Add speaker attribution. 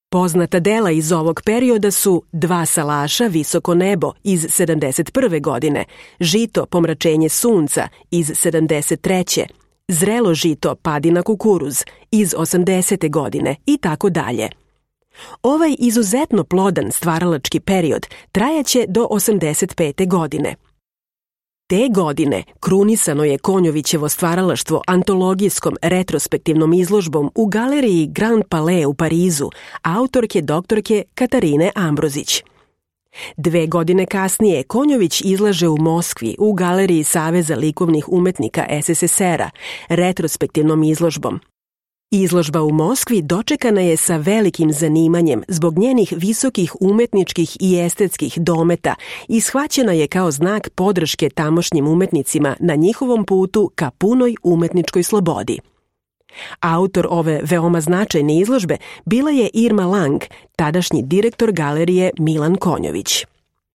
Speaker 1: Poznata dela iz ovog perioda su Dva salaša, Visoko nebo iz 71. godine, Žito, pomračenje sunca iz 73. Zrelo žito, padi na kukuruz iz 80. godine i tako dalje. Ovaj izuzetno plodan stvaralački period trajaće do 85. godine. Te godine krunisano je Konjovićevo stvaralaštvo antologijskom retrospektivnom izložbom u galeriji Grand Palais u Parizu, autorke doktorke Katarine Ambrozić. 2 godine kasnije Konjović izlaže u Moskvi u galeriji Saveza likovnih umetnika SSSR-a retrospektivnom izložbom. Izložba u Moskvi dočekana je sa velikim zanimanjem zbog njenih visokih umetničkih i estetskih dometa i shvaćena je kao znak podrške tamošnjim umetnicima na njihovom putu ka punoj umetničkoj slobodi. Autor ove veoma značajne izložbe bila je Irma Lang, tadašnji direktor galerije Milan Konjović.